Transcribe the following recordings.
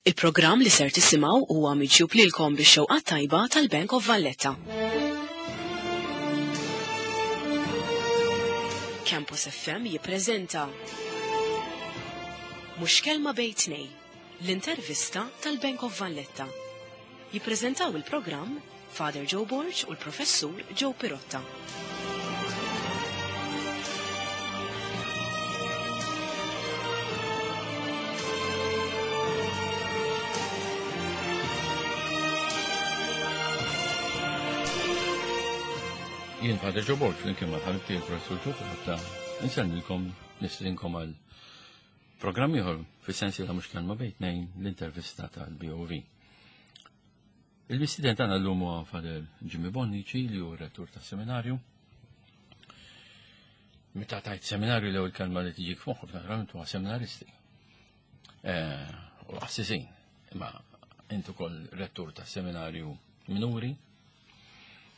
Il-programm li ser tisimgħu huwa miġjub lilkom bix-xewqa tajba tal-Bank of Valletta. Campus FM jippreżenta Mhux kelma bejn tnej, l-intervista tal-Bank of Valletta. Jippreżentaw il-programm Father Joe Borg u l-Professur Joe Pirotta. Jien Father Joe Borg flimkien ma' ħabib tiegħi Professur Joe Pirotta nsellmilkom nistrinkom għal programm ieħor fis-sensi ta' mhux kelma bejn tnejn l-intervista tal-BOV. Il-mistieden tagħna llum huwa Father Jimmy Bonnici li hu rettur tas-seminarju. Meta tajt seminarju l-ewwel kelma li tiġik f'moħħok naturalment huwa seminaristi. Eh, u assisin, imma intu kol rettur tas-seminarju minuri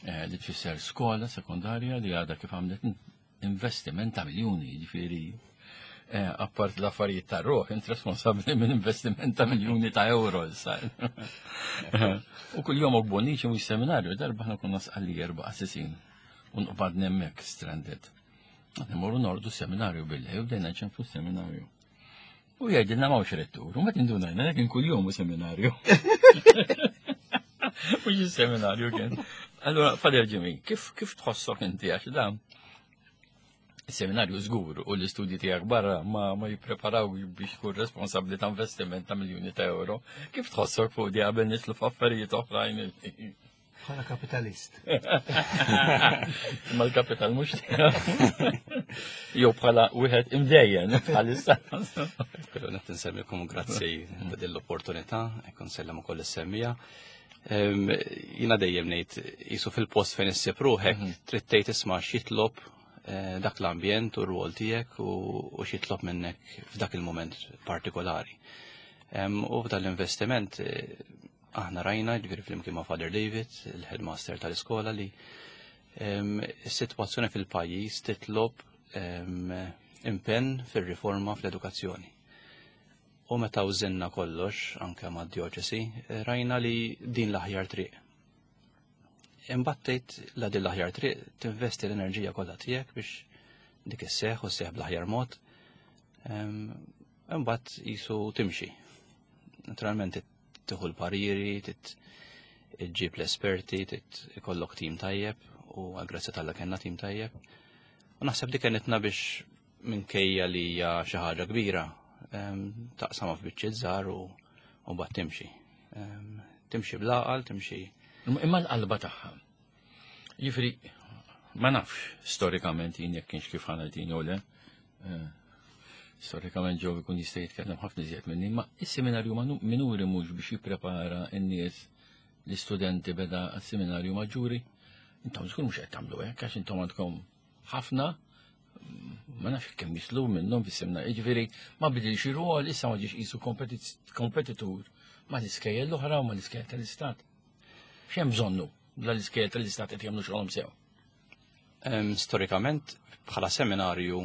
eh, li tfisser skola sekondarja li għadha kif għamlet investiment ta' miljuni, ġifieri eh, appart l-affarijiet ta' ruħ, int responsabbli minn investiment ta' miljuni ta' euro issa. U kull jom boniċi mhux seminarju, darba ħna konna sqalli erba' qassisin u nqbad hemmhekk stranded. Nimorru nordu seminarju billi, u bdejna ċenfu seminarju. U jgħidilna m'hawnx rettur, u ma tindunajna kien kuljum u seminarju. Mhux seminarju kien. Allora, Fader Jimmy, kif kif tħossok inti għax dan? Seminarju żgur u l-istudji tiegħek barra ma ma jippreparaw biex tkun responsabbli ta' investiment ta' miljuni ta' euro. Kif tħossok fuq di qabel nitlu f'affarijiet oħrajn? Bħala kapitalist. Ma l-kapital mhux Jew bħala wieħed imdejjen bħalissa. Però qed insemmikom grazzi ta' din l-opportunità, hekk nsellem ukoll is-semmija. Jiena dejjem ngħid jisu fil-post fejn issib ruħek mhm. trid tgħid isma' x'jitlob eh, dak l-ambjent u r-rwol tiegħek u x'jitlob minnek f'dak il-moment partikolari. U f'dan l-investiment eh, Aħna rajna, ġifieri flimkien ma' Father David, il-headmaster tal-iskola, li s-sitwazzjoni fil-pajjiż titlob impenn fir-riforma fl-edukazzjoni. U meta użinna kollox, anke ma' dioċesi, rajna li din l-aħjar triq. Imbagħad tgħid la din l-aħjar triq tinvesti l-enerġija kollha tiegħek biex dik isseħħ u sseħħ bl-aħjar mod. Imbagħad jisu timxi. Naturalment tieħu l-pariri, ġib l-esperti, ikollok tim tajjeb u għal-grazzja tal kellna tim tajjeb. U naħseb dik kenitna biex minkejja li hija xi ħaġa kbira, taqsama f'biċċiet żgħar u mbagħad timxi. Timxi bl-għaqal, timxi. Imma l-qalba tagħha. Jiġifieri ma nafx storikament jien jekk kienx kif ħanajtin jew le. Eh, storikament ġew ikun jista' jitkellem ħafna iżjed minni, ma is-seminarju minuri mhux biex jipprepara n-nies l-istudenti beda għas-seminarju maġġuri. Intom żgur mhux qed tagħmlu hekk għax intom għandkom ħafna ma nafx kemm jislu minnhom fis-seminarju. Jiġifieri ma bidilx ir-rwol issa ma ġiex qisu kompetitur ma l-iskejjel l-oħra u ma l-iskejjel tal-istat. X'hemm bżonnu la l-iskejjel tal-istat qed jagħmlu xogħolhom sew? Storikament, bħala seminarju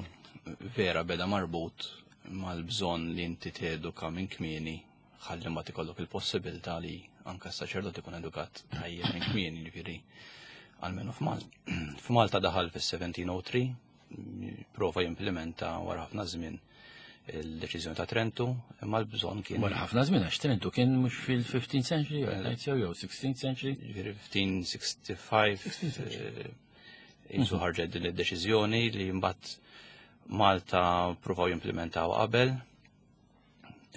vera beda marbut mal-bżonn li inti teduka minn kmieni ħalli ma tikollok il-possibilità li anka s-saċerdot ikun edukat tajjeb minn kmieni, ġifieri almenu f'Malta. F'Malta daħal fis-1703, prova jimplementa wara ħafna żmien il-deċiżjoni ta' Trentu, imma l-bżonn kien. Wara ħafna żmien għax Trentu kien mhux fil-15th century, jew 16th century. Ġifieri 1565 eh, jisu mhm. ħarġet din id-deċiżjoni li mbagħad Malta provaw jimplementaw qabel,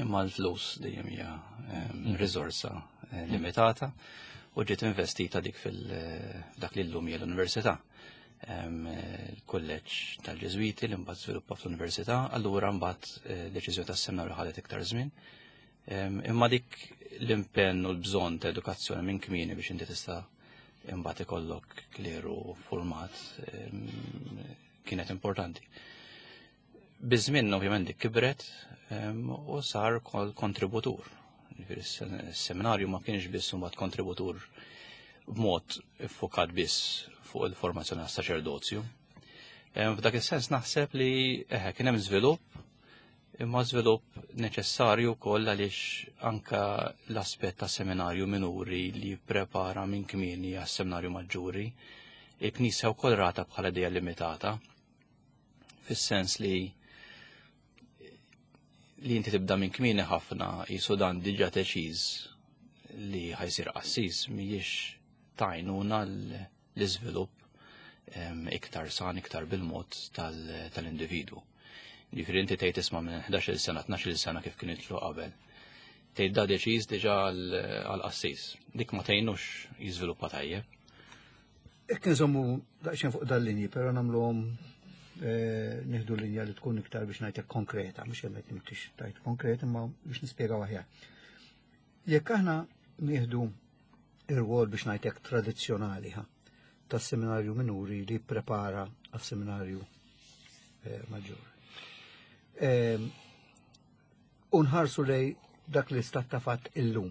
imma l-flus dejjem hija ehm, mhm. riżorsa eh, limitata u ġiet investita dik fil-dak eh, li llum hija l-università. Il-kulleġġ tal-Ġeżwiti li mbagħad żviluppa fl-università, allura mbagħad eh, deċiżjoni tas-seminarju ħadet iktar żmien. Imma dik l-impenn u l-bżonn ta' edukazzjoni minn kmieni biex inti tista' imbagħad ikollok kleru format kienet importanti. Biż-żmien ovvjament dik kibret u sar kontributur. Is-seminarju ma kienx biss imbagħad kontributur b'mod iffokat biss fuq il-formazzjoni għas-saċerdozju. F'dak is-sens naħseb li eħe kien hemm żvilupp. Imma żvilupp neċessarju wkoll għaliex anka l-aspett ta' seminarju minuri li jipprepara minn kmieni għas-seminarju maġġuri, il-Knisja wkoll rata bħala idea limitata, fis-sens li li inti tibda minn kmieni ħafna jisu dan diġà teċiż li ħajsir qassis mhijiex tajnuna l-iżvilupp iktar san, iktar bil-mod tal-individu. Ġifieri inti tgħid isma' minn 11-il sena, 12-il sena kif kien jitlu qabel. Tgħid da deċiż diġà għall-qassis. Dik ma tgħinux jiżviluppa tajjeb. Jekk nżommu daqsxejn fuq dal-linji, però nagħmluhom nieħdu linja li tkun iktar biex ngħidlek konkreta, mhux hemm qed nimtix tajt konkret, imma biex nispjegaw aħjar. Jekk aħna nieħdu ir-rwol biex ngħidlek tradizzjonali ha, tas-seminarju minuri li prepara għas-seminarju maġġur. Unħarsu lej dak li stat ta' fatt illum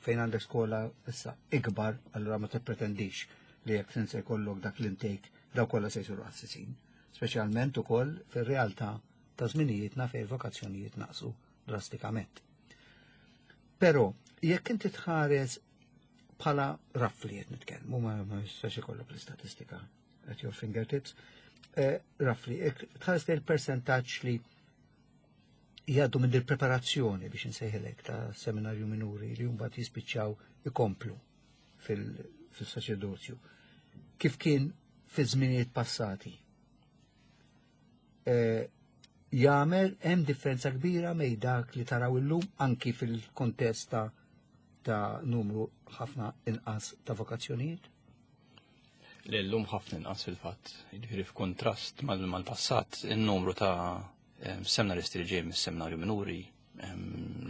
fejn għandek skola issa ikbar, allura ma tippretendix li jekk se jkollok dak l-intake daw kollha se jsiru qassisin. Speċjalment ukoll fir-realtà ta' żminijietna fejn vokazzjonijiet naqsu drastikament. Però jekk inti tħares bħala roughly qed nitkellmu, ma jistax ikollok l-istatistika at your fingertips, roughly, jekk tħares lejn il-percentaġġ li jgħaddu minn il-preparazzjoni biex insejħilek ta' seminarju minuri li mbagħad jispiċċaw ikomplu fil-saċerdozju. Kif kien fi żminijiet passati? Jagħmel hemm differenza kbira mej dak li taraw illum anki fil-kontest ta' numru ħafna inqas ta' vokazzjonijiet? Li llum ħafna inqas fil-fatt, jiġifieri f'kontrast mal-passat, in-numru ta' seminaristi li ġej mis-seminarju minuri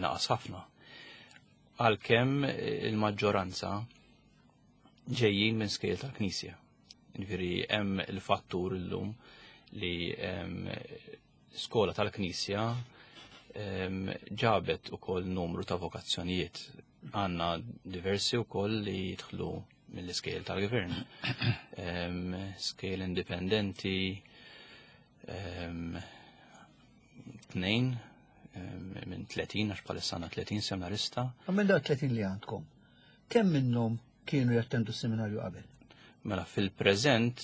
naqas ħafna. Għalkemm il-maġġoranza ġejjin minn skejjel tal-Knisja. Jiġifieri hemm il-fattur illum li skola tal-Knisja ġabet ukoll numru ta' vokazzjonijiet. Għandna diversi wkoll li jidħlu mill-iskejjel tal-gvern. Skejjel indipendenti, 2 minn 30, għax bħalissa għandna 30 seminarista. U minn dak 30 li għandkom, kemm minnhom kienu jattendu seminarju qabel? Mela fil-preżent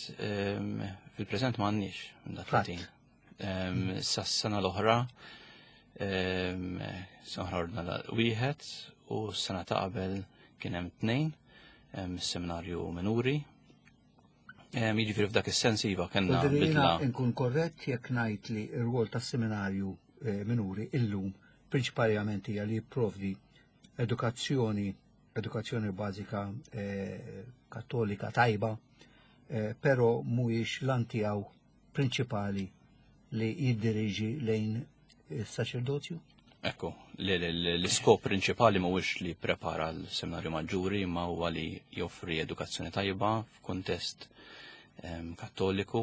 m'għandniex minn dak Fatt. 30. Sa s-sena l-oħra, sena oħra ordna wieħed u s-sena ta' qabel kien hemm 2, seminarju minuri. Jiġifieri f'dak is-sens iva kellna Jiġifieri jiena bidla. Inkun korrett jekk ngħid li r-rwol tas-seminarju minuri illum prinċipalment hija li jipprovdi edukazzjoni bażika kattolika tajba, però mhuwiex lan tiegħu prinċipali li jiddiriġi lejn is-saċerdozju? Ekku, l-iskop prinċipali mhuwiex li prepara l-seminarju maġġuri, ma huwa li joffri edukazzjoni tajba f'kuntest kattoliku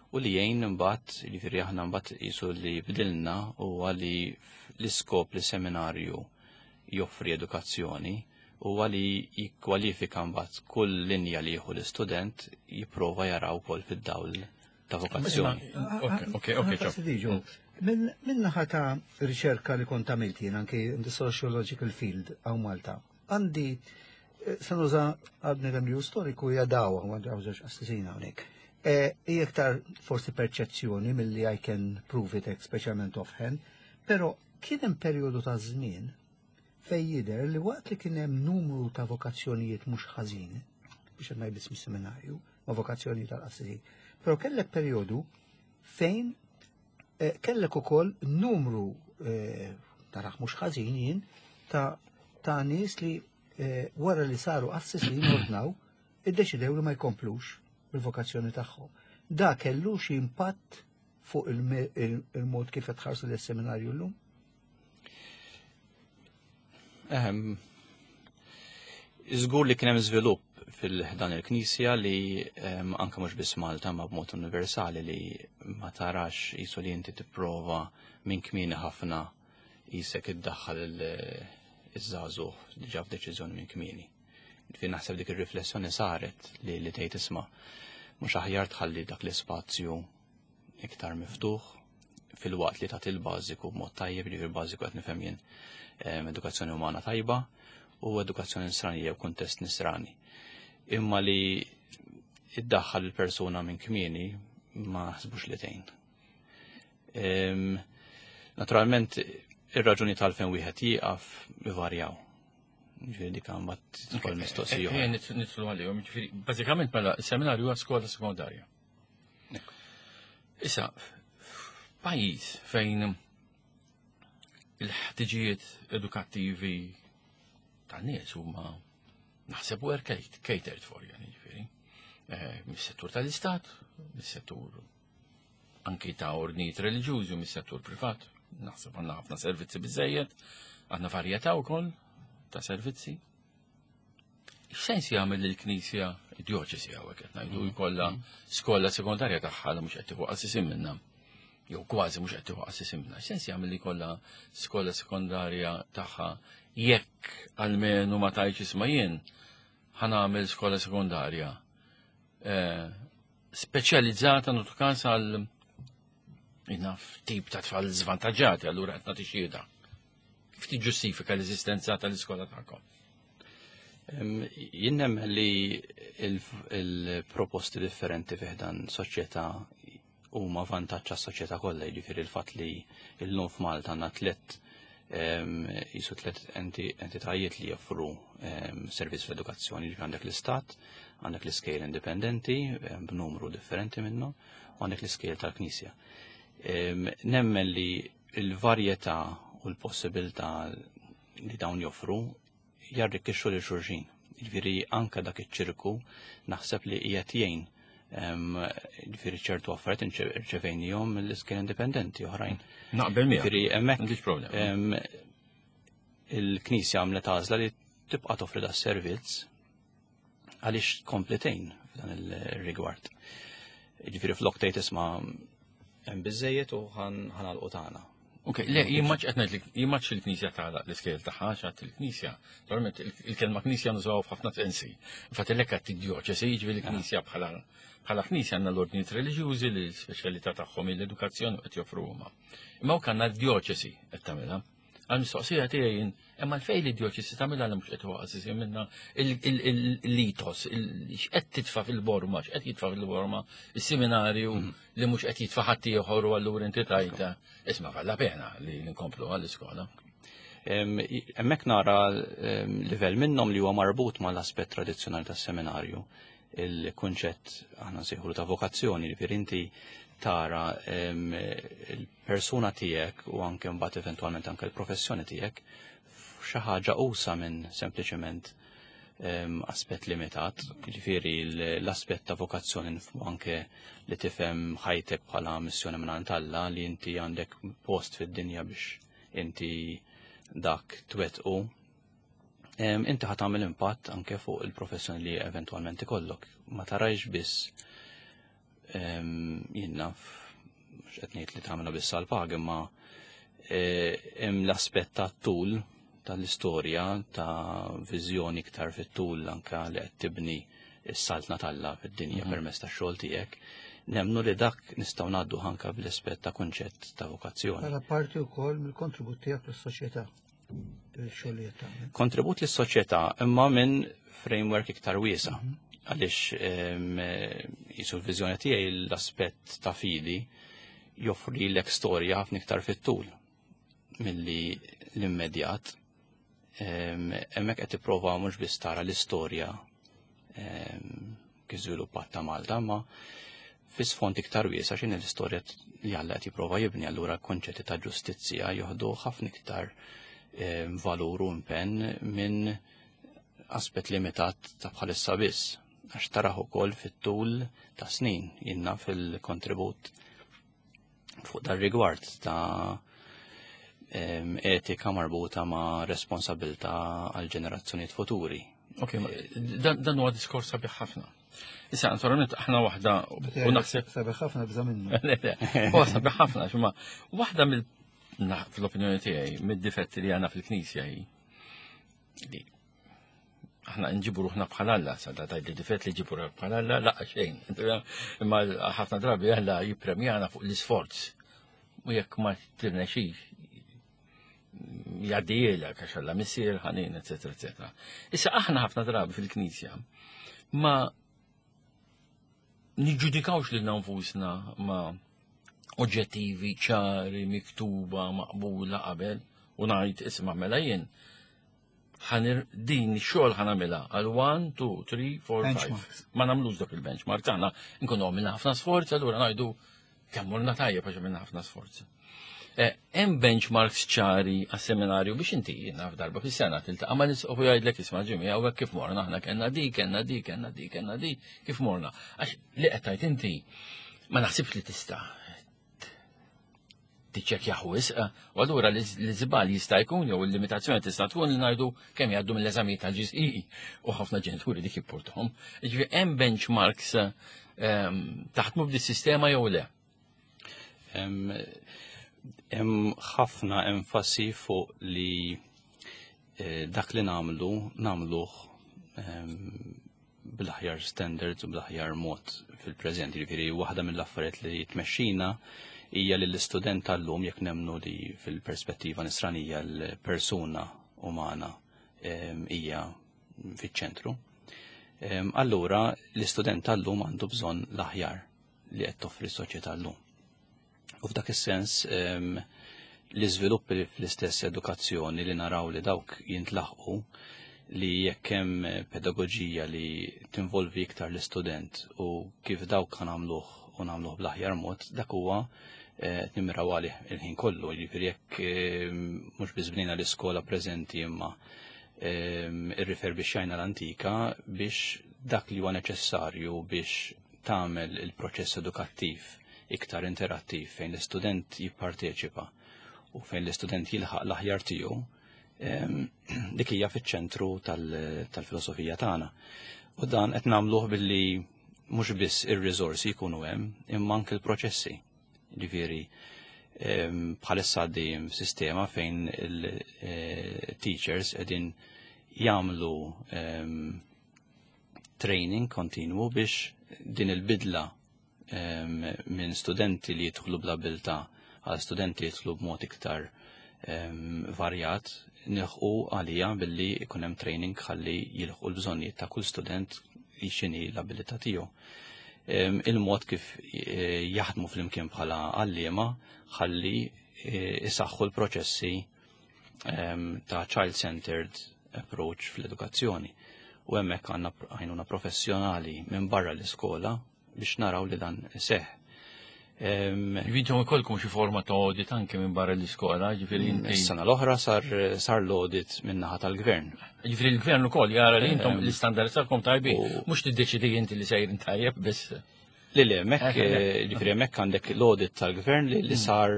u li jgħin imbagħad, jiġifieri aħna mbagħad qisu li bdilna huwa li l-iskop li seminarju joffri edukazzjoni huwa li jikkwalifika mbagħad kull linja li jieħu l-istudent jipprova jaraw ukoll fid-dawl ta' vokazzjoni. Ok, ok, ok, ċo. Fastidju. Min naħa ta' riċerka li kont għamilt jien anke in the sociological field hawn Malta, għandi se nuża għadni dan li storiku hija dawa, għandi hawn żewġ qassisin hawnhekk. Hija iktar forsi perċezzjoni milli I can prove it speċjalment offhand, però kien hemm perjodu ta' żmien fejn jidher li waqt li kien hemm numru ta' vokazzjonijiet mhux ħażin, biex qed ngħid biss mis-seminarju, ma' vokazzjonijiet tal-qassisin, però kellek perjodu fejn kellek ukoll numru taraħ mhux ħażin jien ta' nies li wara li saru qassisin ordnaw iddeċidew li ma jkomplux bil-vokazzjoni tagħhom. Da kellu xi impatt fuq il-mod kif qed tħarsu lis-seminarju llum? Żgur li kien hemm żvilupp fil-ħdan il-Knisja li anke mhux biss Malta ma b'mod universali li ma tarax qisu li inti tipprova minn kmieni ħafna qisek iddaħħal iż-żagħżugħ diġà f'deċiżjoni minn kmieni. Ġifieri naħseb dik ir-riflessjoni saret li tgħid isma' mhux aħjar tħalli dak l-ispazju iktar miftuħ. Filwaqt li tagħti l-bażiku b'mod tajjeb, jiġifieri bażiku qed nifhem jien edukazzjoni umana tajba u edukazzjoni nisranija u kuntest nisrani. Imma li iddaħħal il-persuna minn kmieni ma ħsbux li tgħin. Naturalment, ir-raġuni tal-fejn wieħed jieqaf ivarjaw. Ġifieri dik mbagħad tidħol mistoqsija. Eh, nidħlu għalihom, ġifieri bażikament mela s-seminarju huwa skola sekondarja. Issa, pajjiż fejn il-ħtiġijiet edukattivi tan-nies huma naħseb u catered for, yani ġifieri. Eh, mis-settur tal-istat, mis-settur anki ta' ordnijiet reliġjużi u mis-settur privat. Naħseb għandna ħafna servizzi biżejjed, għandna varjetà wkoll ta' servizzi. X'sens jagħmel lill-Knisja id-djoċesi hawnhekk qed ngħidu mm-hmm. jkollha skola sekondarja tagħha li mhux qed tieħu qassisin minnha jew kważi mhux qed tieħu qassisin minnha. X'sens jagħmel li jkollha skola sekondarja tagħha jekk almenu ma tgħidx isma' jien ħanagħmel skola sekondarja eh, speċjalizzata nagħtu każ għal naf tip ta' tfal żvantaġġati allura qed nagħti xhieda. Kif tiġġustifika l-eżistenza tal-iskola tagħkom? Jien nemmen li il-proposti differenti fih dan soċjetà huma vantaġġ għas-soċjetà kollha, jiġifieri l-fatt li llum f'Malta għandna tliet jisu tliet entitajiet li joffru servizz fl-edukazzjoni, jiġifieri għandek l-istat, għandek l-iskejjel indipendenti b'numru differenti minnu, u għandek l-iskejjel tal-Knisja. Nemmen li l-varjetà u l-possibilità li dawn joffru jarrikkixxu lil xulxin. Jiġifieri anke dak iċ-ċirku naħseb li qiegħed jgħin jiġifieri ċertu affarijiet irċevejnihom mill-iskejjel indipendenti oħrajn. Naqbel miegħek. Jiġifieri hemmhekk M'għandix problema. il-Knisja għamlet għażla li tibqa' toffri da servizz għaliex tkompli tgħin f'dan il-rigward. Jiġifieri flok tgħid isma' hemm biżejjed u ħanalqu tagħna. Ok, le, jien maċ qed ngħidlek, jien maċ il-Knisja tagħlaq l-iskejjel tagħha għax il-Knisja. Normalment il-kelma Knisja nużaw f'ħafna sensi. Infatti lek qed id-djoċesi, jiġifieri l-Knisja bħala bħala Knisja għandna l-ordnijiet reliġjużi li l-speċjalità tagħhom hi l-edukazzjoni qed joffru huma. Imma hawn għandna d-djoċesi qed tagħmilha. Għal-mistoqsija tiegħi jien, imma l-fej li djoċesi tagħmilha li mhux qed iwaqas minna l-litos, x'qed titfa' fil-borma, x'qed jitfa' fil-borma, is-seminarju mhm. li mhux qed jitfa' ħadd ieħor u allura inti tajta. Isma' valla pena li nkomplu għall-iskola. Hemmhekk nara livell minnhom li huwa marbut mal-aspett tradizzjonali tas-seminarju il-kunċett aħna nsejħulu ta' vokazzjoni, ġifieri inti tara il-persuna tiegħek u anke mbagħad eventwalment anke l-professjoni tiegħek f'xi ħaġa usa minn sempliċement aspett limitat, ġifieri l-aspett ta' vokazzjoni nifhmu anke li tifhem ħajtek bħala missjoni minn għand Alla li inti għandek post fid-dinja biex inti dak twettqu inti ħa tagħmel impatt anke fuq il-professjoni li eventwalment ikollok. Ma tarajx biss jien naf mhux qed ngħid li tagħmilha biss għal pag imma e, hemm l-aspett tat-tul tal-istorja ta' viżjoni iktar fit-tul anke li qed tibni s-saltna t'Alla fid-dinja mhm. permezz tax-xogħol tiegħek. Nemnu li dak nistgħu ngħaddu anke bl-aspett ta' kunċett ta' vokazzjoni. Bħala parti wkoll mill-kontribut tiegħek lis-soċjetà. Kontribut lis-soċjetà imma minn framework iktar wiesa. Mhm. Għaliex jisu l-viżjoni tiegħi l-aspett ta' fidi joffri lek storja ħafna iktar fit-tul milli l-immedjat. Hemmhekk qed tipprova mhux biss tara l-istorja kif żviluppat ta' Malta, ma fi sfond iktar wiesa' x'inhi l-istorja li Alla qed jipprova jibni, allura konċetti ta' ġustizzja joħdu ħafna iktar valur u impenn minn aspett limitat ta' bħalissa biss, għax taraħ ukoll fit-tul ta' snin jinnna fil-kontribut fuq dar rigward ta' etika marbuta ma' responsabilta għal ġenerazzjonijiet futuri. Ok, dan huwa diskors sabiħ ħafna. Issa, naturalment, aħna waħda u naħseb. Sabiħ ħafna bża minnu. Huwa sabiħ ħafna, xumma, waħda mill fl-opinjoni tiegħi, mid-difetti li għandna fil-Knisja hi li aħna nġibu ruħna bħal Alla, sa da tgħid li difett li ġibu ruħna bħal Alla, laqqa xejn. Imma ħafna drabi Alla jippremjana fuq l-isforz. U jekk ma tirnexix jgħaddielek għax Alla missier ħanin, eċetera, eċetera. Issa aħna ħafna drabi fil-Knisja ma niġġudikawx lilna nfusna ma oġġettivi ċari, miktuba, maqbula qabel u ngħid isma' mela jien ħanir din xogħol ħanamilha għal 1, 2, 3, 4, 5. Ma nagħmlux dak il-benchmark tagħna, nkunu għamilna ħafna sforz, allura ngħidu kemm morna tajjeb għax għamilna ħafna sforz. Eh, hemm benchmarks ċari għas-seminarju biex inti jiena f'darba fis-sena tiltaqa' ma' nisqof u jgħidlek isma' ġimmi hawnhekk kif morna aħna kellna di, kellna di, kellna di, kellna di, kif morna. Għax li qed tgħid inti ma naħsibx li tista' tiċċekkjah wisq, u allura l-iżbal jista' jkun jew il-limitazzjoni tista' tkun li ngħidu kemm jgħaddu mill-eżamijiet tal-GCE u ħafna ġenituri dik jippurtahom. Jiġifieri hemm benchmarks taħdmu b'di sistema jew le? Hemm ħafna enfasi fuq li eh, dak li nagħmlu nagħmluh bl-aħjar standards u bl-aħjar mod fil-preżent. Jiġifieri waħda mill-affarijiet li tmexxina hija li l-istudent tal-lum jekk nemnu li fil-perspettiva nisranija l-persuna umana hija fiċ-ċentru. Allura l-istudent tal-lum għandu bżonn l-aħjar li qed toffri s-soċjetà llum. U f'dak is-sens l-iżviluppi fl-istess edukazzjoni li naraw li dawk jintlaħqu li jekk hemm pedagoġija li tinvolvi iktar l-istudent u kif dawk nagħmluh u nagħmluh bl-aħjar mod, dak huwa eh, nimmiraw għalih il-ħin kollu, jiġifieri jekk mhux biss bnejna l-iskola preżenti imma irriferbixxajna l-antika biex dak li huwa neċessarju biex tagħmel il-proċess edukattiv iktar interattiv fejn l-istudent jipparteċipa u fejn l-istudent jilħaq l-aħjar tiegħu, dik hija fiċ-ċentru tal-filosofija tagħna. U dan qed nagħmluh billi mhux biss ir-riżorsi jkunu hemm, imma anke l-proċessi. Ġifieri bħalissa għaddejjem sistema fejn il-teachers eh, qegħdin jagħmlu training kontinwu biex din il-bidla minn studenti li jidħlu bl-abilità għal studenti li jidħlu b'mod iktar varjat nilħqu għalija billi ikun hemm training ħalli jilħqu l-bżonnijiet ta' kull student x'inhi l-abilità tiegħu. Il-mod kif eh, jaħdmu flimkien bħala għalliema ħalli eh, isaħħu l-proċessi ta' child-centered approach fl-edukazzjoni. U hemmhekk għandna għajnuna professjonali minn barra l-iskola biex naraw li dan seħ. Intom ikolkom xi forma ta' audit anke minn barra l-iskola, ġifieri inti. Is-sena l-oħra sar sar l-audit minn naħa tal-gvern. Ġifieri l-gvern ukoll jara li intom l-istandards tagħkom tajbin, mhux tiddeċidi inti li sejrin tajjeb biss. Li le, hemmhekk eh, ġifieri hemmhekk għandek l-audit tal-gvern li mm. sar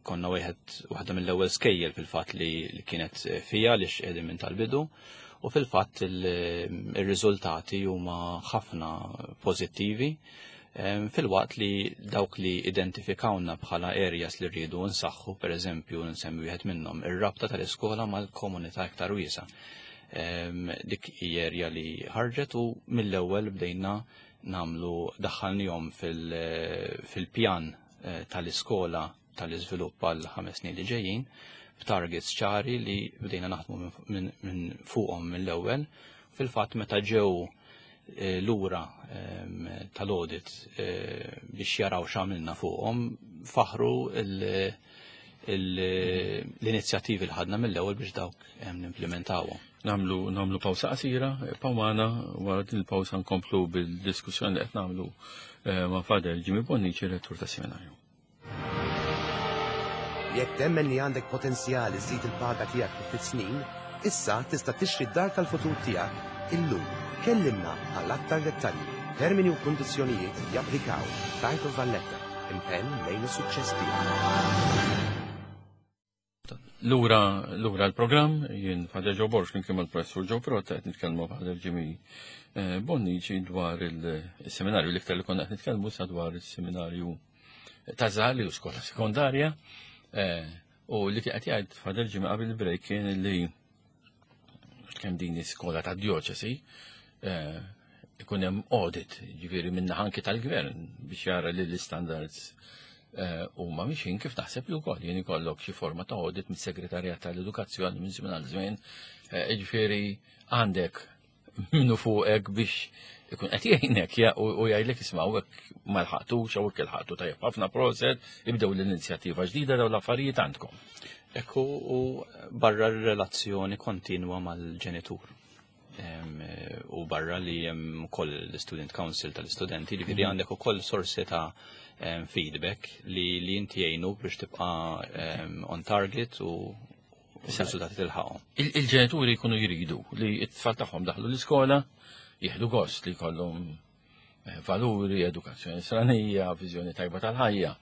konna wieħed waħda mill-ewwel skejjel fil-fatt li kienet fija li x'qegħdin minn tal-bidu u fil-fatt ir-riżultati huma ħafna pożittivi filwaqt li dawk li identifikawna bħala areas li rridu nsaħħu, per eżempju, nsemmi wieħed minnhom, ir-rabta tal-iskola mal-komunità iktar wiesa. Dik area li ħarġet u mill-ewwel bdejna namlu daħħalnihom fil-pjan eh, tal-iskola tal-iżvilupp għal ħames snin li ġejjin b'targets ċari li bdejna naħdmu minn fuqhom mill-ewwel. Fil-fatt meta ġew eh, lura ehm, tal-audit eh, biex jaraw x'għamilna fuqhom, faħru l-inizjattivi li ħadna mill-ewwel biex dawk ehm, nimplementawhom. Namlu namlu pawsa qasira, pawmana wara din il-pawsa nkomplu bil-diskussjoni li qed nagħmlu eh, ma' Fader Jimmy Bonnici, rettur ta' seminarju. Jekk temmen li għandek potenzjal iżżid il-paga tiegħek fi ftit snin, issa tista' tixtri d-dar tal-futur tiegħek illum. Kellimna għal aktar dettalji. Termini u kundizzjonijiet japplikaw. Bank of Valletta, impenn lejn is-suċċess tiegħek. Lura lura l-programm, jien Father Joe Borg flimkien mal-Professur Joe Protta qed nitkellmu Father Jimmy eh, Bonnici dwar il-seminarju l-iktar li konna qed nitkellmu sa dwar il-seminarju ta' Zali u skola sekondarja eh, u li qed jgħid Father Jimmy qabel il-break kien li kemm din iskola ta' dioċesi eh, Ikun hemm audit, ġifieri minn anki tal-gvern biex jara li l-istandards huma mixin kif taħseb li wkoll jien ikollok xi forma ta' audit mis-Segretarjat tal-Edukazzjoni minn żmien għal żmien, ġifieri għandek minnu fuqek biex ikun qed jgħinek u jgħidlek isma' hekk ma lħaqtux jew hekk ilħaqtu tajjeb ħafna proset, ibdew l-inizjattiva ġdida dawn l-affarijiet għandkom. Ekku u barra r-relazzjoni kontinwa mal-ġenitur. U barra li hemm ukoll l-Student Council tal-istudenti, ġifieri għandek ukoll sorsi ta' feedback li inti jgħinu biex tibqa' on target u r-riżultati tilħaqhom. Il-ġenituri jkunu jridu li t-tfal tagħhom daħlu l-iskola, jieħdu gost li jkollhom valuri, edukazzjoni nisranija, viżjoni tajba tal-ħajja,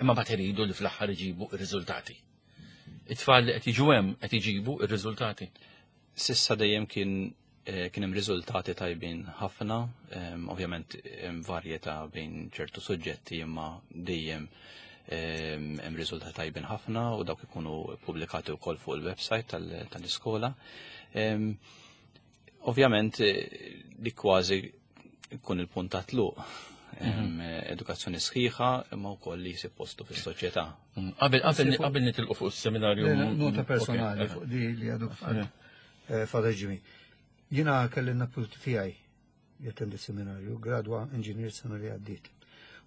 imma mbagħad iridu li fl-aħħar iġibu r-riżultati. It-tfal li qed jiġu hemm qed iġibu r-riżultati. Sissa dejjem kien hemm riżultati tajbin ħafna, ovvjament hemm varjetà bejn ċertu suġġetti imma dejjem hemm riżultati tajbin ħafna u dawk ikunu pubblikati wkoll fuq il-website tal-iskola. Ovvjament li kważi ikun il-punt ta' tluq. Edukazzjoni sħiħa imma wkoll li jsib postu fis-soċjetà. Qabel nitilqu fuq is-seminarju. Nota personali fuq di li għadu Father Jimmy. Jiena kelli n-napputi tiegħi jattendi seminarju, gradwa inġinier sena li għaddiet.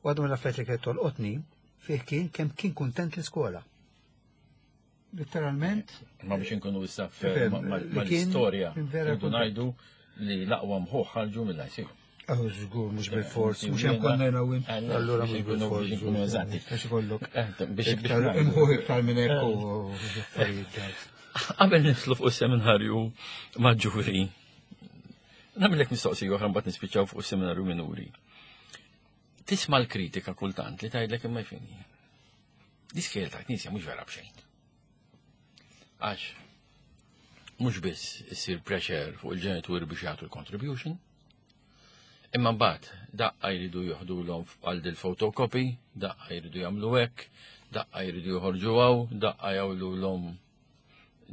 U għadu mill-affarijiet li kienet tolqotni fih kien kemm kien kuntent l-iskola. Literalment. Ma biex inkunu issa mal-istorja, rridu ngħidu li l-aqwa mħuħ ħarġu mill-ICU. Oh, żgur, mhux bil-fors, mhux hemm konna jiena u int. Allura mhux bil-fors. Eżatti. Għax ikollok. Biex imħuħ iktar minn hekk u affarijiet. Qabel nidħlu fuq is-seminarju maġġuri, nagħmellek mistoqsija oħra mbagħad nispiċċaw fuq is-seminarju minuri. Tisma' l-kritika kultant li tgħidlek imma jfini. L-iskejjel ta' knisja mhux vera b'xejn. Għax mhux biss issir pressure fuq il-ġenituri biex jagħtu l-contribution, imma mbagħad daqqa jridu joħdulhom għal dil-photocopy, daqqa jridu jagħmlu hekk, daqqa jridu joħorġu hawn, daqqa jagħmluhom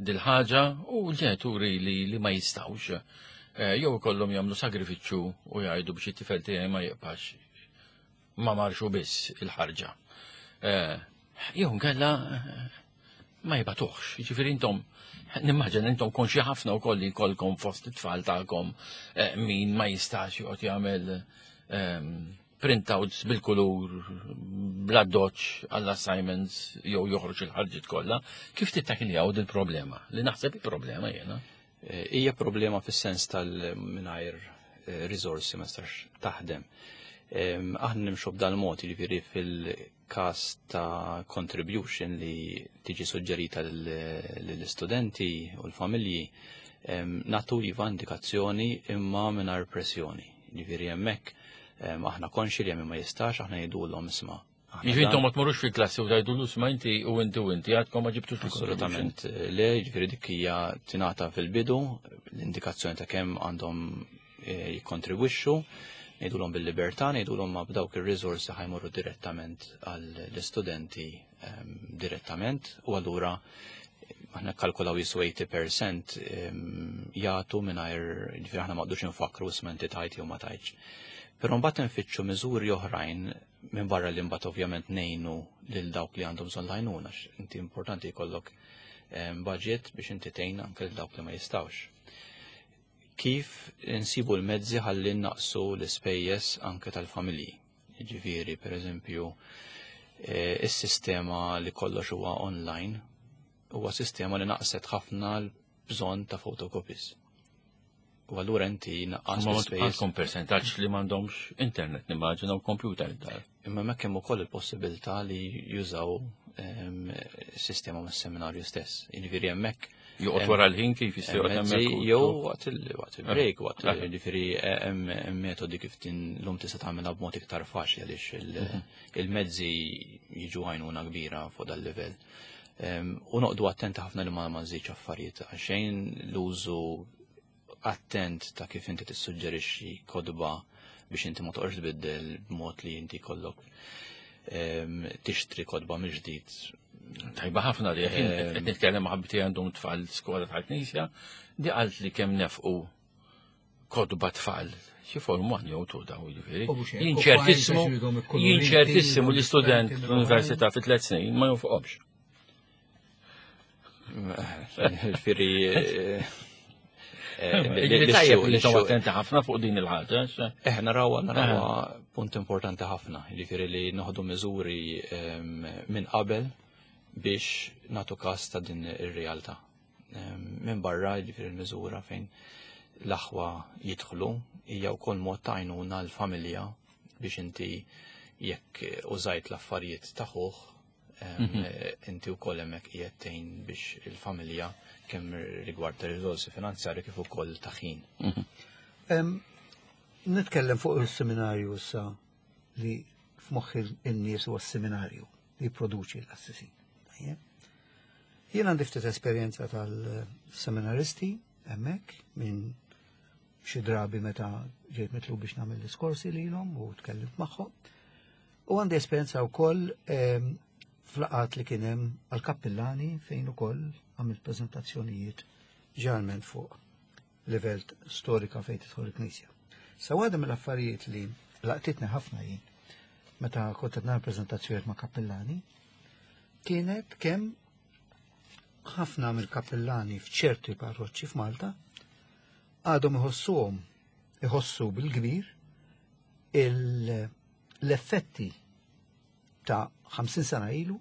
dil-ħaġa u l-ġenituri li ma jistgħux jew ikollhom jagħmlu sagrifiċċju u jgħidu biex it-tifel tiegħi ma jibqax ma marxu biss il-ħarġa. Jew nkella ma jibatuħx, jiġifieri intom nimmaġina intom konxi ħafna wkoll li jkollkom fost it-tfal tagħkom min ma jistax joqgħod jagħmel printouts bil-kulur, bla doċ għall-assignments jew joħroġ il-ħarġiet kollha. Kif tittakiljaw dil-problema? Li naħseb il-problema jiena. Hija problema fis-sens tal-mingħajr riżorsi ma tistax taħdem. Aħna nimxu b'dal mod, jiġifieri fil-każ ta' contribution li tiġi suġġerita lill-istudenti u l-familji, nagħtu iva indikazzjoni imma mingħajr pressjoni. Jiġifieri hemmhekk aħna konxi li hemm ma jistax, aħna ngħidulhom isma'. Jiġifieri intom ma tmorrux fil-klassi u tgħidulu isma' inti u inti u inti għadkom ma ġibtux il-contribution. Assolutament le, jiġifieri dik hija tingħata fil-bidu l-indikazzjoni ta' kemm għandhom jikkontribwixxu, ngħidulhom bil-libertà, ngħidulhom ma b'dawk ir-riżorsi ħajmorru direttament għall-istudenti direttament u allura aħna kalkulaw jisu 80% jagħtu mingħajr, jiġifieri aħna ma qdux infakru isma' inti tajt jew ma tajtx. Però mbagħad nfittxu miżuri oħrajn minn barra li mbagħad ovvjament ngħinu lil dawk li għandhom bżonn l-għajnuna, għax inti importanti jkollok budget biex inti tgħin anke lil dawk li ma jistgħux. Kif insibu l-mezzi ħalli naqsu l-ispejjeż anke tal-familji? Jiġifieri, per eżempju, is-sistema li kollox huwa online huwa sistema li naqset ħafna l-bżonn ta' photocopies. U allura inti naqqas Ma l-ispejjeż. għandkom percentaġġ li m'għandhomx internet, nimmaġina u computer id-dar. Imma hemmhekk hemm ukoll il-possibilità li jużaw sistema mas-seminarju stess. Jiġifieri hemmhekk Joqgħod wara l-ħin kif jista' joqgħod mezzi hemmhekk u jew u- waqt il-break, waqt jiġifieri hemm metodi kif llum tista' tagħmilha b'mod iktar faċli għaliex il-mezzi jiġu għajnuna kbira fuq dal-livell. U noqdu attenti ħafna li ma nżidx affarijiet għaxejn l-użu attent ta' kif inti tissuġġerixxi kodba biex inti ma toqgħodx tbiddel b'mod li inti kollok tixtri kodba mill-ġdid. Tajba ħafna li qed nitkellem ma' ħabti għandhom tfal skola tal-Knisja, di qalt li kemm nefqu Kotba tfal, xi form one jew two daw jiġifieri. U mhux hekk, Jien u ċertissimu, files għax iridhom ikkoloriti, jien ċertissimu li iridhom student differenti l-università fi tliet snin ma jonfoqhomx. Ġifieri Jiġifieri tajjeb li intom attenti ħafna fuq din il-ħaġa. Eh, narawha narawha punt importanti ħafna, jiġifieri li noħdu miżuri minn qabel biex nagħtu każ ta' din ir-realtà. Minn barra jiġifieri l-miżura fejn l-aħwa jidħlu hija wkoll mod ta' għajnuna l-familja biex inti jekk użajt l-affarijiet ta' ħuh inti wkoll hemmhekk qiegħed tgħin biex il-familja kemm rigward ta' riżorsi finanzjarji kif ukoll ta' ħin. Nitkellem fuq il-seminarju issa li f'moħħ in-nies huwa s-seminarju li jipproduċi l-qassisin. Tajjeb? Jien għandi ftit esperjenza tal-seminaristi hemmhekk minn xi drabi meta ġejt mitlub biex nagħmel diskorsi lilhom u tkellimt magħhom. U għandi esperjenza wkoll f'laqgħat li kien hemm għall-kappillani fejn ukoll għamilt preżentazzjonijiet ġeneralment fuq livell storika fejn tidħol il-Knisja. Sa waħda mill-affarijiet li laqtitni ħafna jien meta kont qed nagħmel preżentazzjonijiet ma' kappillani kienet kemm ħafna mill-kappillani f'ċerti parroċċi f'Malta għadhom iħossuhom iħossu bil-kbir l-effetti ta' 50 sena ilu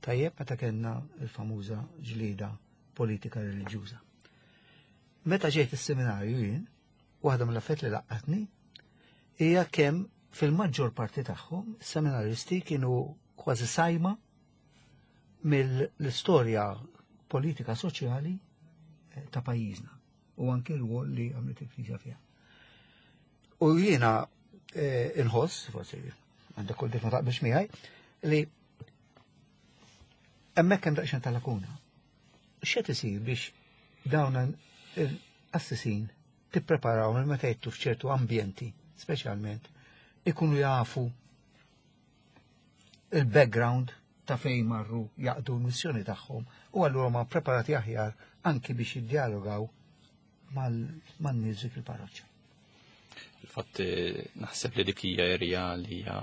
tajjeb meta kellna il-famuża ġlieda politika reliġjuża. Meta ġejt is-seminarju jien, waħda mill-affett li laqqatni hija kemm fil-maġġor parti tagħhom is-seminaristi kienu kważi sajma mill-istorja politika soċjali ta' pajjiżna u anki r-rwol li għamlet il-Knisja fiha. U jiena inħoss, forsi għandek kull dik ma taqbilx miegħi, li hemmhekk hemm daqsxejn ta' lakuna. X'qed isir biex dawn il-qassisin tippreparaw minn meta jittu f'ċertu ambjenti, speċjalment, ikunu jafu il-background ta' fejn marru jaqdu l-missjoni tagħhom u allura ma preparati aħjar anki biex jiddialogaw man-nies dik il-parroċċa. Il-fatt naħseb li dik hija erja li hija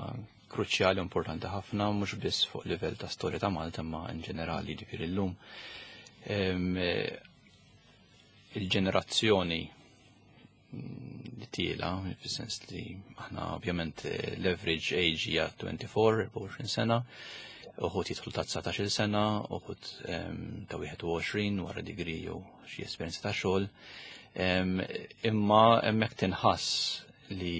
kruċjali u importanti ħafna mhux biss fuq livell ta' storja ta' Malta imma in ġenerali ġifieri llum. Il-ġenerazzjoni li tiela, fis-sens li aħna ovvjament l-average age hija 24, 24 sena, uħud jidħlu ta' 19 sena, uħud ta' 21 wara degree jew xi esperjenza ta' xogħol. Imma hemmhekk tinħass li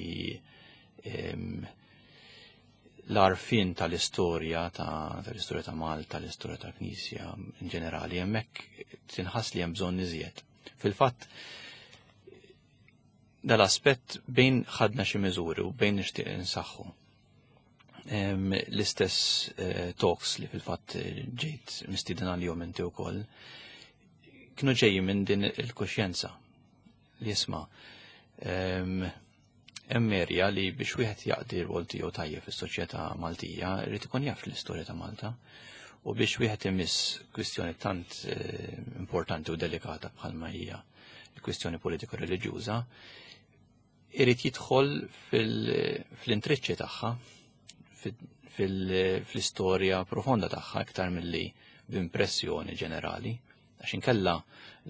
l-għarfien tal-istorja tal-istorja ta' Malta, l-istorja tal-Knisja in ġenerali, hemmhekk tinħass li hemm bżonn iżjed. Fil-fatt, dal-aspett bejn ħadna xi miżuri u bejn nixtieq insaħħu. L-istess talks li fil-fatt ġejt mistieden għalihom inti wkoll, kienu ġejjin minn din il-kuxjenza li jisma' hemm erja li biex wieħed jaqdi r-rwol tiegħu tajjeb fis-soċjetà Maltija irid ikun jaf l-istorja ta' Malta u biex wieħed imiss kwistjoni tant importanti u delikata bħalma hija l-kwistjoni politika reliġjuża, irid jidħol fl-intriċċi tagħha, fl-istorja profonda tagħha iktar milli b'impressjoni ġenerali, għax inkella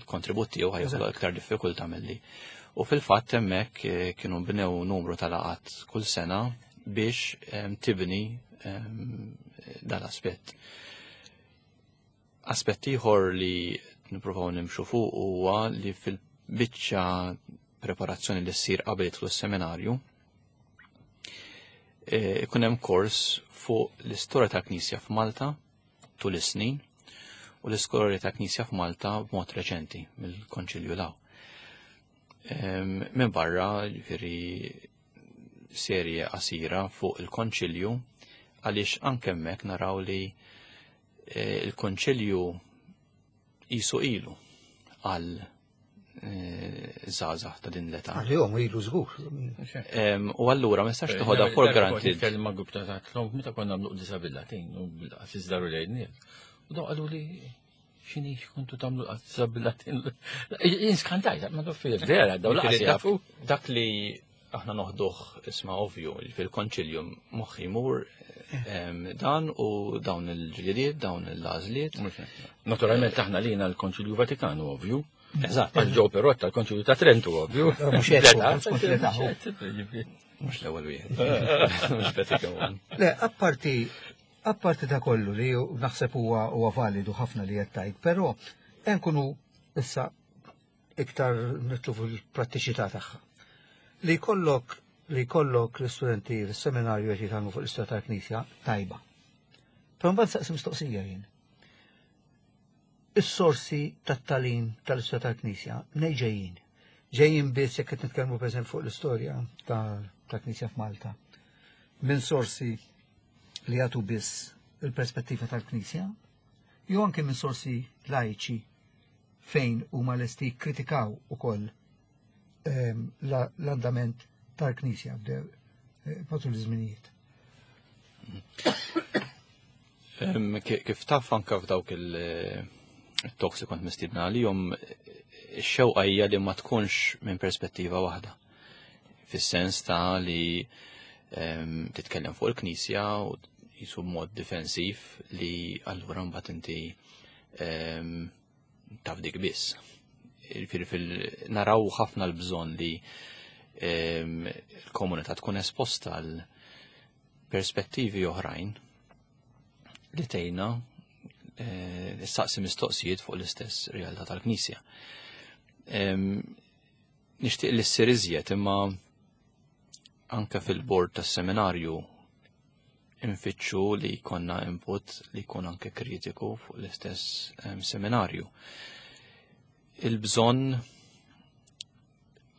l-kontribut tiegħu ħajħloq iktar diffikultà milli. U fil-fatt hemmhekk kienu bnew numru ta' laqgħat kull sena biex tibni dal-aspett. Aspett ieħor li nippruvaw nimxu fuq huwa li fil-biċċa preparazzjoni li ssir qabel jidħlu s-seminarju, ikun hemm kors fuq l-istorja tal-Knisja f'Malta tul is-snin u l-istorja tal-Knisja f'Malta b'mod reċenti mill-Konċilju law. Minn barra, ġifieri serje qasira fuq il-Konċilju, għaliex anke hemmhekk naraw li il-Konċilju jisu ilu għal żgħażagħ ta' din l-età. Għalihom ilu żgur. U allura ma nistax toħodha for granted. Nitkellem ma' grupp ta' tlom meta konna nagħmlu qdisa bil-Latin u bil-qassis daru lejn nies. U dawn qalu li X'inhi x'kontu tagħmlu qazza bil-Latin? Inskantajt, ma taf vera, daw laqas jafu. Dak li aħna noħduh isma' ovvju fil-konċilju moħħi jmur dan u dawn il-ġlidiet, dawn il-għażliet. Naturalment aħna lina l-Konċilju Vatikanu ovvju. Eżatt. Għal Joe Perotta l-Konċilju ta' Trentu ovvju. Mhux l-ewwel wieħed. Mhux Vatican One. Le, apparti apparti ta' kollu li naħseb huwa huwa validu ħafna li qed tgħid, però hemm kunu issa iktar nitlu fil-prattiċità tagħha. Li jkollok li jkollok l-istudenti fis-seminarju qed jitgħallmu fuq l-istorja tal-Knisja tajba. Però mbagħad saqsi mistoqsija jien. Is-sorsi tat-tagħlim tal-istorja tal-Knisja mnej ġejjin. Ġejjin biss jekk qed nitkellmu pereżempju fuq l-istorja tal-Knisja f'Malta. Minn sorsi li jagħtu biss il-perspettiva tal-Knisja, jew anke minn sorsi lajċi fejn huma lesti jikkritikaw ukoll l-andament tal-Knisja matul iż-żminijiet. Kif taf anka f'dawk il-talks li kont mistiedna għalihom, ix-xewqa hija li ma tkunx minn perspettiva waħda. Fis-sens ta' li titkellem fuq il-Knisja u jisu mod difensiv li allura mbagħad inti taf dik biss. Jiġifieri naraw ħafna l-bżonn li l-komunità tkun esposta għal perspettivi oħrajn li tgħinna issaqsi mistoqsijiet fuq l-istess realtà tal-Knisja. Nixtieq li ssir iżjed imma anke fil-bord tas-seminarju infittxu li jkollna input li jkun anke kritiku fuq l-istess seminarju. Il-bżonn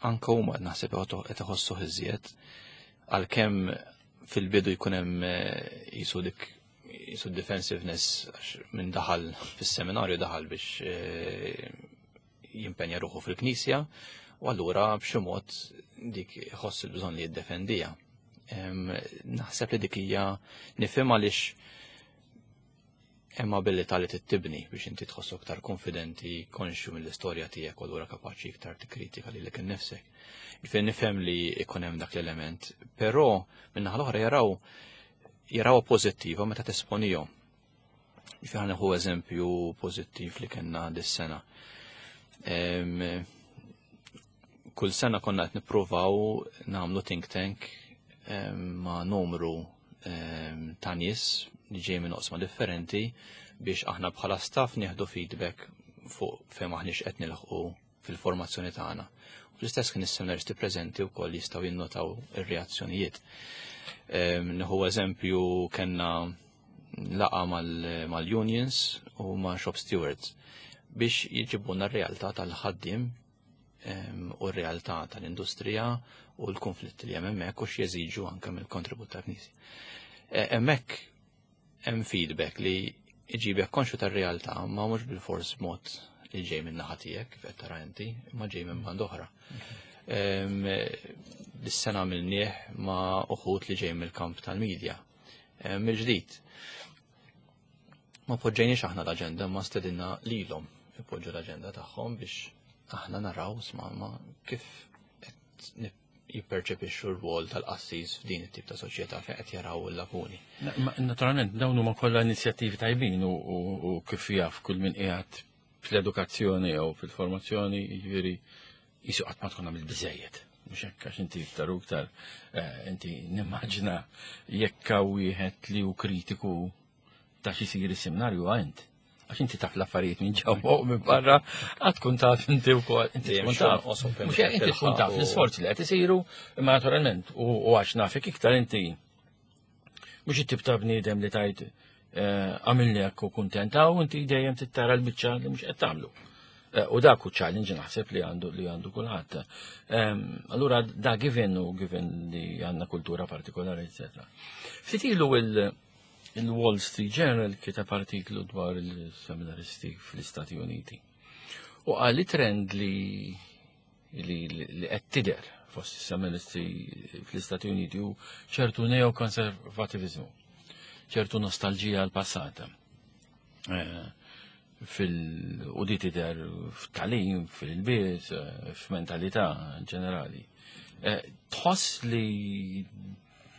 anke huma naħseb qed iħossuh iżjed għalkemm fil-bidu jkun hemm jisu dik jisu defensiveness għax minn daħal fis-seminarju daħal biex jimpenja ruħu fil-Knisja u allura b'xi mod dik iħoss il-bżonn li jiddefendija. Naħseb li dik hija nifhem għaliex hemm abilità li tittibni biex inti tħossok iktar konfidenti, konxju mill-istorja tiegħek u allura kapaċi iktar tikkritika lilek innifsek. Ġifieri nifhem li jkun hemm dak l-element, però min-naħa l-oħra jaraw pożittiva meta tesponihom. Ġifieri ħa nieħu eżempju pożittiv li kellna dis-sena. Kull sena konna qed nippruvaw nagħmlu think tank ma' numru ta' nies li ġej minn oqsma differenti biex aħna bħala staff nieħdu feedback fuq fejn aħniex qed nilħqu fil-formazzjoni tagħna. U fl-istess kien is-seminaristi preżenti wkoll jistgħu jinnotaw ir-reazzjonijiet. Nieħu eżempju kellna laqa mal-unions u ma' shop stewards biex jġibuna r-realtà tal-ħaddiem u r-realtà tal-industrija u l-konflitti li hemm hemmhekk u x'jeżiġu anke mill-kontribut tal-Knisja. Hemmhekk hemm feedback li iġibek konxju tar-realtà ma mhux bil-fors mod li ġej minn naħa tiegħek kif qed tara inti, imma ġej minn band oħra. Dis-sena għamilnieh ma' uħud li ġej mill-kamp tal-medja. Mill-ġdid. Ma poġġejniex aħna l-aġenda, ma stedinna lilhom ipoġġu l-aġenda tagħhom biex aħna naraw sma ma kif qed jipperċepixxu r-rwol tal-qassis f'din it-tip ta' soċjetà fejn qed jaraw il-lakuni. Naturalment dawn huma kollha inizjattivi tajbin u kif jaf kull min qiegħed fl-edukazzjoni jew fil-formazzjoni, jiġifieri jisu qatt ma tkun għamilt biżejjed. Mhux hekk għax inti iktar u iktar inti nimmaġina jekk hawn wieħed li hu kritiku ta' xi jsir is-seminarju għand. Għax inti taf l-affarijiet minn ġewwa u minn barra, għad tkun taf inti wkoll, inti tkun taf. Mhux hekk inti tkun taf l-isforzi li qed isiru, imma naturalment u għax nafek iktar inti mhux it-tip ta' bniedem li tajt għamilni hekk u kuntenta u inti dejjem tittara l-biċċa li mhux qed tagħmlu. U dak hu challenge naħseb li għandu li għandu kulħadd. Allura da given u given li għandna kultura partikolari, eccetera. Ftit ilu il-Wall Street Journal kiteb artiklu dwar il-seminaristi fl-Istati Uniti. U qal li trend li qed tidher fost is-seminaristi fl-Istati Uniti hu ċertu neokonservativizmu, ċertu nostalġija għal passata. Fil u di tidher f'talim, fil-bies, f'mentalità ġenerali. Eh, tħoss li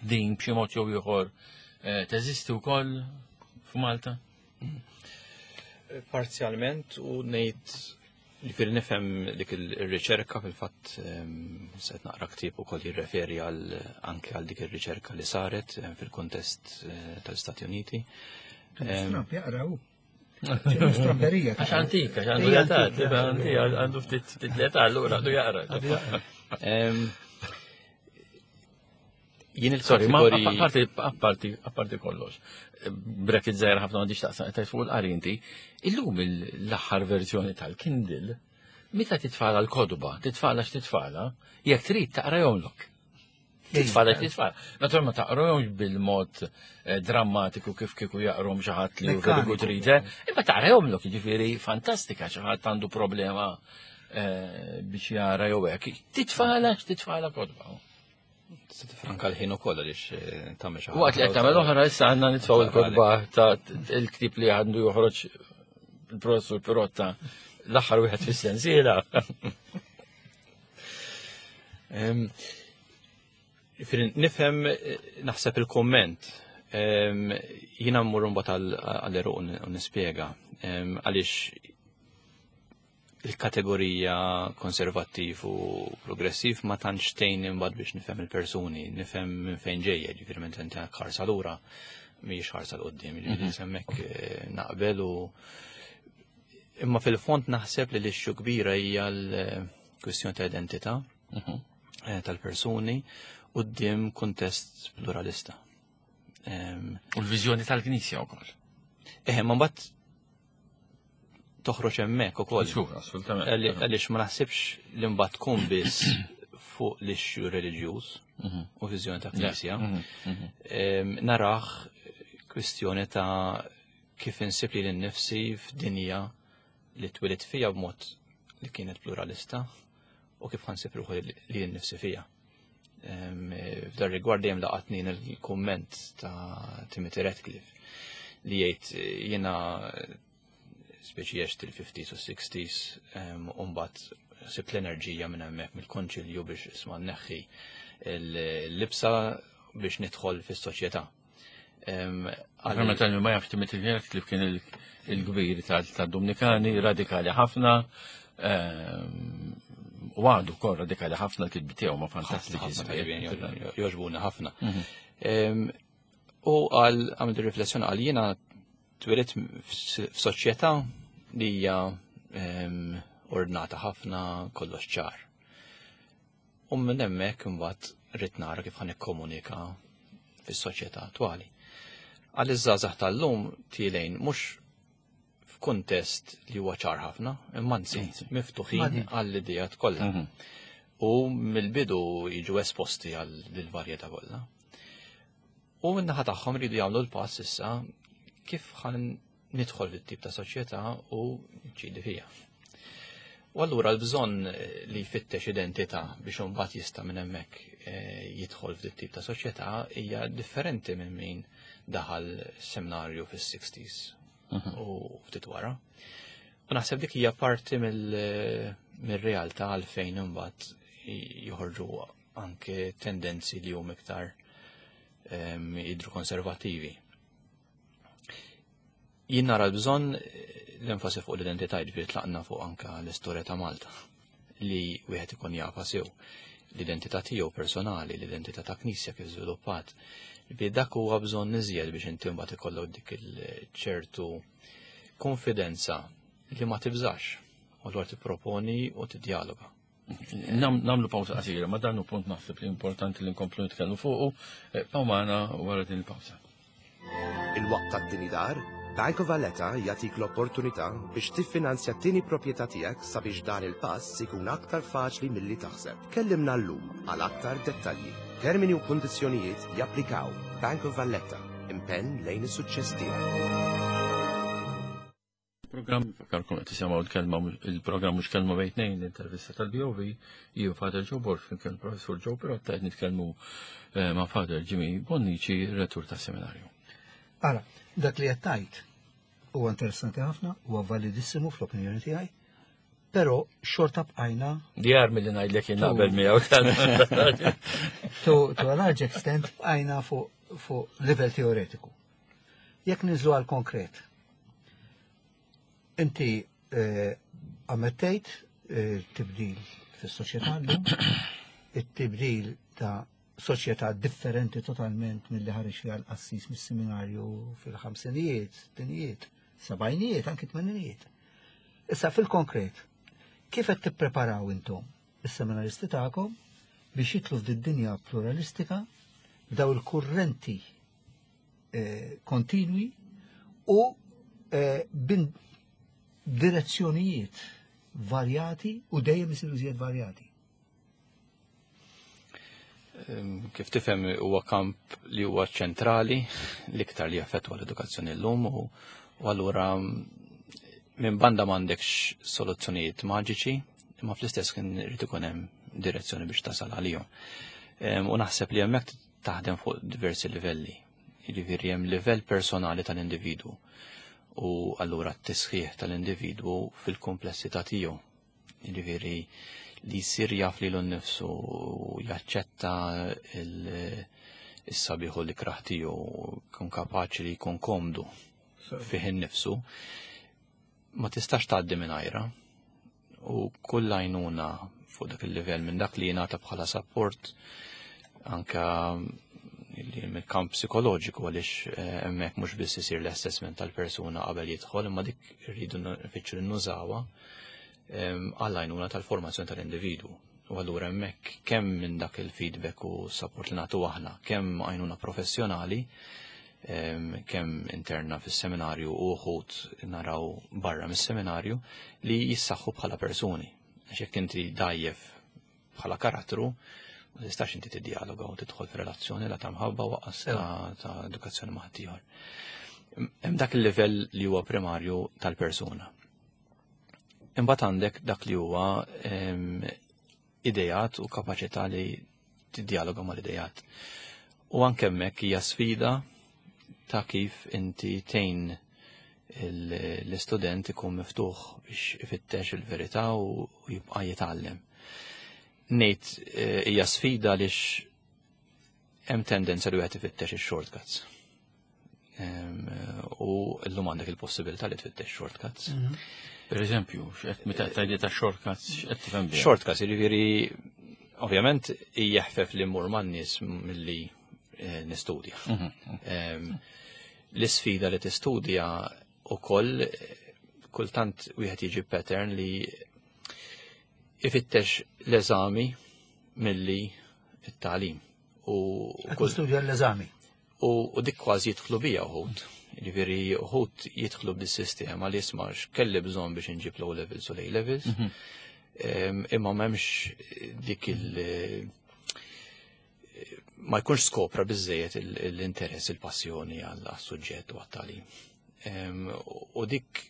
din b'xi mod jew ieħor eh, teżisti wkoll f'Malta? Parzjalment u ngħid Ġifieri nifhem dik ir-riċerka fil-fatt ehm, se naqra ktieb ukoll jirreferi għal anke għal dik ir-riċerka li saret ehm, fil-kuntest eh, tal-Istati Uniti. Ehm, Trump jaqra hu. Stramberija. Għax antika, għax għandu l-età, għandu ftit l-età, allura għandu jaqra. Jien Sorry, ma il-kategoriji. apparti, apparti, apparti kollox. Bracket zaħir ħafna m'għandix taqsam qed fuq il-qari inti. Illum l-aħħar verżjoni tal-Kindle, meta titfala l-kodba, titfala x'titfala, jekk trid taqra jomlok. Titfala titfala. Naturalment ma taqrahomx bil-mod eh, drammatiku kif kieku jaqrom xi ħadd li hu very good Mekkaniku. reader, imma taqrahomlok, jiġifieri fantastika xi ħadd għandu problema eh, biex jara jew hekk. Titfala x'titfala kodba. Tista' tifranka l-ħin ukoll għaliex eh, tagħmel xi ħaġa. Waqt li qed tagħmel oħra issa għandna nitfgħu l-kotba ta' il-ktieb li għandu joħroġ il-professur Pirotta l-aħħar wieħed fis-sensiela. Ehm, Ġifieri nifhem eh, naħseb il-komment. Ehm, Jiena mmur mbagħad għall-eruq u nispjega ehm, għaliex il-kategorija konservattiv u progressiv ma tantx tgħin imbagħad biex nifhem il-persuni, nifhem minn fejn ġejja, ġifieri minn inti ħarsa lura mhijiex ħarsa 'l quddiem, ġifieri hemmhekk eh, naqbel u imma fil-fond naħseb li l-issue kbira hija l-kwistjoni ta' identità eh, tal-persuni quddiem kuntest pluralista. Ehm, U l-viżjoni tal-Knisja wkoll. Eh, ma mbagħad toħroġ hemmhekk ukoll. Żgur, assolutament. Għaliex ma naħsibx li mbagħad tkun biss fuq l-issue reliġjuż u viżjoni ta' knisja. Em, Naraħ kwistjoni ta' kif insib li l-nifsi f'dinja li twilit fija b'mod li kienet pluralista u kif ħansib ruħi li l-nifsi fija. Em, F'dar rigward dejjem laqatni il-kumment ta' Timothy Radcliffe li jgħid eh, jiena speċi għext il-50s u 60s u mbagħad sibt l-enerġija minn hemmhekk mill-konċilju biex isma' nneħħi l-libsa biex nidħol fis-soċjetà. Em, Għal meta ma jafx Timothy Radcliffe kien il-kbir tad-Dominikani, radikali ħafna, ehm, u għadu kol radikali ħafna l-kitbi tiegħu ma fantastiċi. ħafna tajbin, joġbuna ħafna. Em, U għal għamil riflessjoni għal jiena twilidt f'soċjetà li hija em, ordnata ħafna kollox ċar. U minn hemmhekk imbagħad rrid nara kif ħa nikkomunika fis-soċjetà attwali. Għal iż-żgħażagħ tal-lum tilgħin mhux f'kuntest li huwa ċar ħafna, imma anzi miftuħin Madi. għall-idejat kollha. U mill-bidu jiġu esposti għal dil-varjetà kollha. U min-naħa tagħhom ridu jagħmlu l-pass issa kif ħan nidħol fit-tip ta' soċjetà u nċidi fija. U allura l-bżonn eh, li jfittex identità biex imbagħad jista' minn hemmhekk eh, jidħol f'dit tip ta' soċjetà hija differenti minn min daħal seminarju fis-60s u ftit wara. U naħseb dik hija parti mill- mir-realtà għalfejn imbagħad joħorġu anke tendenzi li huma iktar em, jidru konservativi. Jien nara l-bżonn eh, l-enfasi fuq l-identità ġifieri tlaqna fuq anka l-istorja ta' Malta li wieħed ikun jafa sew l-identità tiegħu personali, l-identità ta' knisja kif żviluppat. Ġifieri dak huwa bżonn iżjed biex inti mbagħad ikollok dik il-ċertu konfidenza li ma tibżax u dwar tipproponi u tiddialoga. Namlu pawsa qasira, ma dan hu punt naħseb li importanti li nkomplu nitkellmu fuqu, bqgħu magħna wara din il-pawsa. Il-waqt tat-tieni dar, Bank of Valletta jagħtik l-opportunità biex tiffinanzja t-tieni proprjetà tiegħek sabiex dan il-pass ikun aktar faċli milli taħseb. Kellimna llum għal aktar dettalji. Termini u kundizzjonijiet japplikaw. Bank of Valletta, impenn lejn is-suċċess tiegħek. Program, fakkarkom qed tisimgħu l-kelma il-programm mhux kelma bejn tnejn l-intervista tal-BOV, jien Father Joe Borg flimkien il-Professur Joe Pirotta qed nitkellmu eh, ma' Father Jimmy Bonnici, rettur tas-seminarju. Ara, dak li qed tgħid. Huwa interessanti ħafna, huwa validissimu fl-opinjoni tiegħi, però xorta bqajna Djar milli ngħidlek jien naqbel miegħu. To, to a large extent bqajna fuq livell teoretiku. Jekk ninżlu għal konkret, inti ammettejt tibdil fis-soċjetà llum, it-tibdil ta' soċjetà differenti totalment milli ħareġ fiha l-qassis mis-seminarju fil-ħamsinijiet, sittinijiet, sebgħinijiet, anki tmeninijiet. Issa fil-konkret, kif qed tippreparaw intom is-seminaristi tagħkom biex jidħlu f'did-dinja pluralistika b'daw il-kurrenti kontinwi u bin direzzjonijiet varjati u dejjem isiru iżjed varjati? Kif tifhem, huwa kamp li huwa ċentrali l-iktar li jaffettwa l-edukazzjoni llum u allura minn banda m'għandekx soluzzjonijiet maġiċi, imma fl-istess kien irid ikun hemm direzzjoni biex tasal għalihom. U naħseb li hemmhekk taħdem fuq diversi livelli. Jiġifieri hemm livell personali tal-individwu u allura t-tisħiħ tal-individwu fil-komplessità tiegħu. Jiġifieri li jsir jaf lilu nnifsu u jaċċetta il-sabiħ u l-ikrah tiegħu, kun kapaċi li jkun komdu fih innifsu, ma tistax tgħaddi mingħajra. U kull għajnuna fuq dak il-livell minn dak li jingħata bħala support anka mill-kamp psikoloġiku, għaliex hemmhekk mhux biss isir l-assessment tal-persuna qabel jidħol, imma dik irridu nfittxu li nużawha għall-għajnuna tal-formazzjoni tal-individwu. U allura hemmhekk kemm minn dak il-feedback u support li nagħtu aħna, kemm għajnuna professjonali, kemm interna fis-seminarju u uħud naraw barra mis-seminarju li jissaħħu bħala persuni. Għax jekk inti dajjef bħala karattru, ma tistax inti tiddialoga u tidħol f'relazzjoni la ta' mħabba waqqas ta' edukazzjoni ma' ħaddieħor. Hemm dak il-livell li huwa primarju tal-persuna. Imbagħad għandek dak li huwa idejat u kapaċità li tiddialoga mal-idejat. U anke hemmhekk hija sfida ta' kif inti tgħin l-istudent ikun miftuħ biex ifittex il-verità u jibqa' jitgħallem. Ngħid hija sfida għaliex hemm tendenza li wieħed ifittex ix-shortcuts. U llum għandek il-possibilità li tfittex shortcuts. Per eżempju, x'qed meta tgħidli ta' shortcuts, x'qed tifhem biha? Shortcuts, jiġifieri ovvjament jeħfef li mmur man-nies milli nistudja. L-isfida li tistudja ukoll kultant wieħed jiġi pattern li ifittex l-eżami milli it-tagħlim. U Qed studja l-eżami. U dik kważi jidħlu bija uħud. Jiġifieri uħud jidħlu b'dis-sistema li jisma' x'kelli bżonn biex inġib l-O levels u l-A levels. Imma m'hemmx dik il- ma jkunx skopra biżejjed l-interess, il-passjoni għall-suġġett u għat-tagħlim. U dik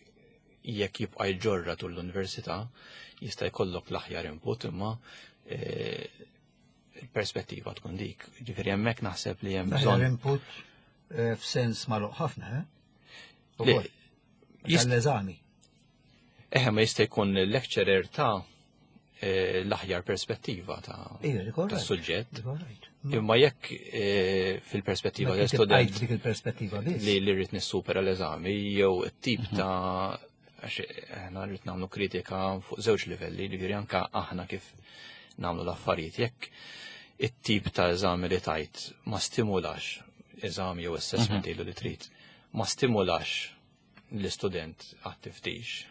jekk jibqa' jġorra tul l-università jista' jkollok l-aħjar input, imma il-perspettiva tkun dik. Ġifieri hemmhekk naħseb li hemm L-aħjar bżonn input f'sens magħluq ħafna, eh? Li Ukoll. Tal-eżami. Eħe, ma jista' jkun lecturer ta' l-aħjar perspettiva ta' Ija, dik all ta' right. suġġett. Dik all right. Imma jekk fil-perspettiva Ma inti tal-student bqajt dik il-perspettiva biss. li rrid nissupera l-eżami jew it-tip ta' għax aħna rrid nagħmlu kritika fuq żewġ livelli, jiġifieri anke aħna kif nagħmlu l-affarijiet. Jekk it-tip ta' eżami li tajt ma stimulax eżami jew assessment ilu li trid, ma stimulax l-istudent għat-tiftix,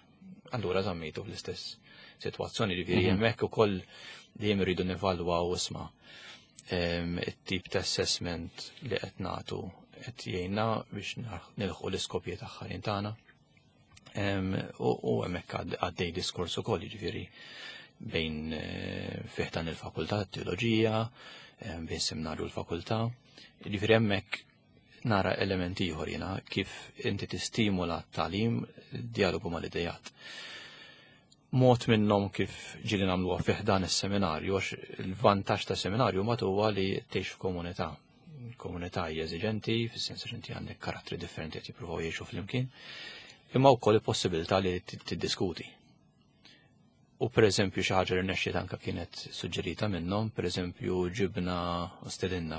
allura żammejtu fl-istess sitwazzjoni, jiġifieri hemmhekk ukoll dejjem irridu nevalwaw isma' it-tip ta' assessment li qed nagħtu qed jgħinna biex nilħqu l-iskopji tagħha tagħna. U hemmhekk għaddej diskors ukoll, jiġifieri bejn fih dan il-fakultà teoloġija, bejn seminarju l-fakultà, jiġifieri hemmhekk nara elementi ieħor jiena kif inti tistimula t-tagħlim, dialogu mal-idejat. Mod minnhom kif ġieli nagħmluha fih dan is-seminarju, għax il-vantaġġ ta' seminarju ma huwa li tgħix f'komunità. Komunità hija eżiġenti, fis-sens li inti għandek karattri differenti qed jippruvaw jgħixu flimkien. Imma wkoll il-possibilità li tiddiskuti. U per eżempju xi ħaġa li rnexxiet anke kienet suġġerita minnhom, per eżempju ġibna u stedinna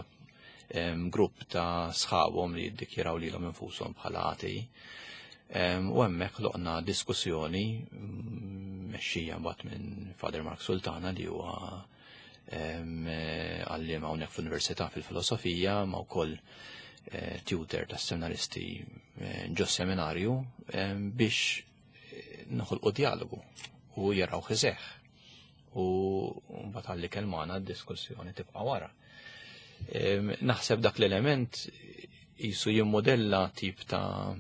grupp ta' sħabhom li jiddikjaraw lilhom infushom bħala atei. U hemmhekk ħloqna diskussjoni mexxija mbagħad minn Father Mark Sultana li huwa għalliem hawnhekk fl-Università fil-Filosofija ma wkoll tutor tas-seminaristi ġo seminarju biex noħolqu dialogu u jaraw iseħħ. U mbagħad għalli kelmana d-diskussjoni tibqa' wara. Naħseb dak l-element jisu jimmodella tip ta'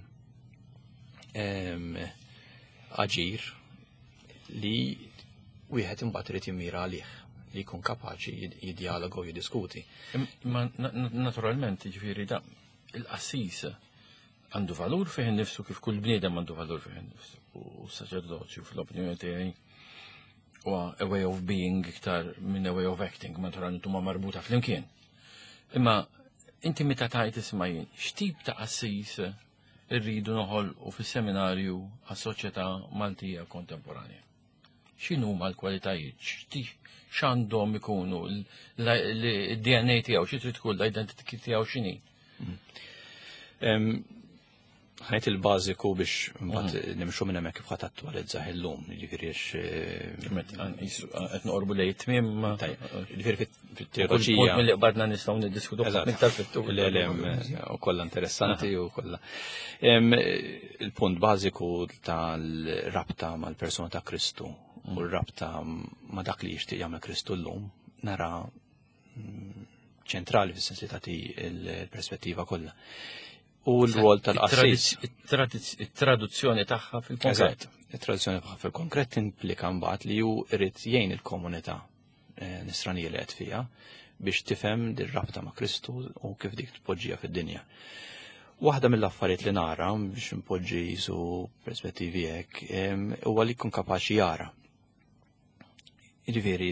aġir li wieħed imbagħad irid jimmira għalih li jkun kapaċi jiddialoga u jiddiskuti. Imma naturalment, jiġifieri da il-qassis għandu valur fih innifsu kif kull bniedem għandu valur fih innifsu. U saċerdozju fl-opinjoni tiegħi huwa a way of being iktar minn a way of acting, naturalment huma marbuta flimkien. Imma inti meta tajt isma' jien, x'tip ta' qassis irridu noħolqu fis-seminarju għas-soċjetà Maltija kontemporanja? X'inhuma l-kwalitajiet? X'għandhom ikunu l-DNA tiegħu, xi trid tkun l-identity tiegħu x'inhi? Ħajt il-bażiku biex mbagħad nimxu minn hemmhekk kif ħadd attwalizza illum, jiġifieri għax qed noqorbu lejn it-tmiem. Tajjeb, jiġifieri fit-teoloġija. Punt milli qbadna nistgħu niddiskutu iktar fit-tul. Le, le, u kollha interessanti u kollha. Il-punt bażiku tal-rabta mal-persuna ta' Kristu u l-rabta ma' dak li jixtieq jagħmel Kristu llum nara ċentrali fis-sens li tagħti l-perspettiva kollha. U l-rwol tal-qassis. It-traduzzjoni tagħha fil-konkret. It-traduzzjoni tagħha fil-konkret implika mbagħad li hu irid jgħin il-komunità nisranija li qed fiha biex tifhem dir-rabta ma' Kristu u kif dik tpoġġiha fid-dinja. Waħda mill-affarijiet li nara biex npoġġi jisu perspettivi hekk huwa li jkun kapaċi jara. Jiġifieri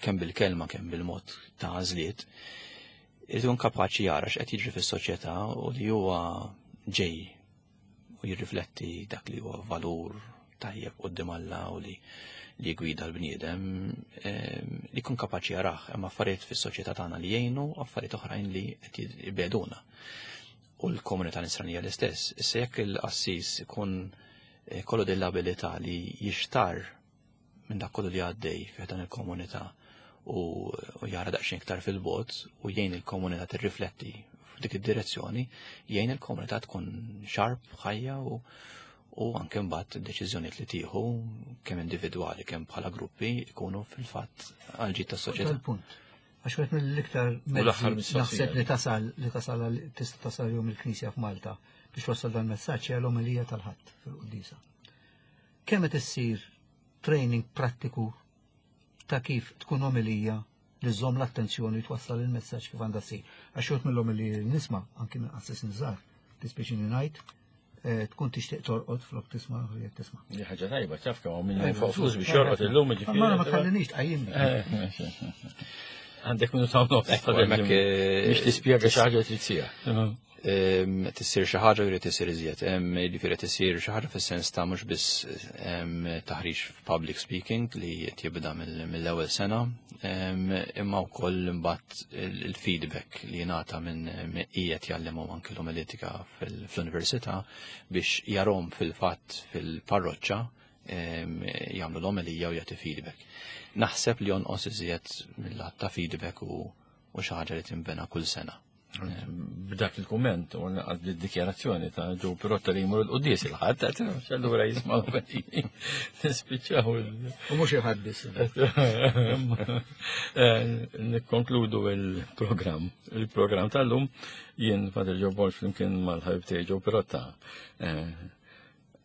kemm bil-kelma kemm bil-mod ta' għażliet, irid ikun kapaċi jara x'qed jiġri fis-soċjetà u li huwa ġej u jirrifletti dak li huwa valur tajjeb quddiem Alla u li jgwida l-bniedem, li jkun kapaċi jarah. Hemm affarijiet fis-soċjetà tagħna li jgħinu, affarijiet oħrajn li qed jibegħduna. U l-komunità nisranija l-istess. Issa jekk il-qassis ikun kollu din l-abilità li jixtar minn dak kollu li għaddej fih dan il-komunità u jara daqsxejn iktar fil-bogħod u jgħin il-komunità tirrifletti f'dik id-direzzjoni, jgħin il-komunità tkun xarp, ħajja u anke mbagħad id-deċiżjonijiet li tieħu kemm individwali kemm bħala gruppi ikunu fil-fatt għal ġid tas-soċjetà. Punt. Għax wieħed mill-iktar U l-aħħar mezzi mistoqsija. naħseb li tasal li tasal għal tista' tasal jum il-Knisja f'Malta biex wassal dan messaġġ hija l-omelija tal-Ħadd fil-quddiesa. Kemm qed issir training prattiku ta' kif tkun omelija li żżomm l-attenzjoni twassal il-messaġġ kif għandha ssir. Għax xogħol mill-omelija li nisma' anki minn qassis niżar, tispiċini ngħid, tkun tixtieq torqod flok tisma' u jekk tisma'. Di ħaġa tajba, taf kemm hawn min jonfoq flus biex jorqod illum, jiġifieri. Ma ma tħallinix tqajjimni. Għandek minuta u nofs. Ekku, hemmhekk, Biex tispjega xi ħaġa trid sija. Tissir xi ħaġa jrid tisir iżjed. Jiġifieri tisir xi ħaġa fis-sens ta' mhux biss taħriġ f'public speaking li qed jibda mill-ewwel sena, imma wkoll imbagħad il-feedback li jingħata minn qiegħed jgħallimhom anke l-omiletika fl-università biex jarhom fil-fatt fil-parroċċa jagħmlu l-omelija u jagħti feedback. Naħseb li jonqos iżjed mill-lat ta' feedback u xi ħaġa li tinbena kull sena. B'dak il-kumment u għad id-dikjarazzjoni ta' Joe Pirotta li jmur il-quddies il-ħadd, allura jisma' l-omeliji. Nispiċċaw il- U mhux il-ħadd biss. Nikkonkludu il-programm. Il-programm tal-lum jien Father Joe Borg flimkien mal-ħabib tiegħi Joe Pirotta.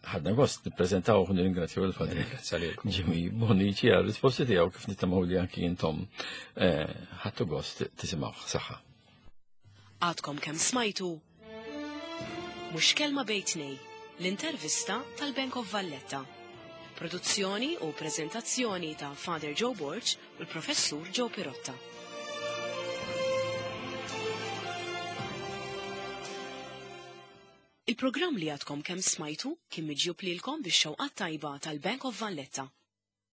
Ħadna gost nippreżentaw u nirringrazzjaw il-Father Grazzi lilkom. Jimmy Bonnici għal risposti tiegħu kif nittamaw li anki intom ħadtu gost tisimgħu. Saħħa. Għadkom kemm smajtu Mhux Kelma Bejn Tnejn, l-intervista tal-Bank of Valletta. Produzzjoni u prezentazzjoni ta' Father Joe Borg u l-Professur Joe Pirotta. Il-programm li għadkom kemm smajtu kien miġjub lilkom bix-xewqat tajba tal-Bank of Valletta.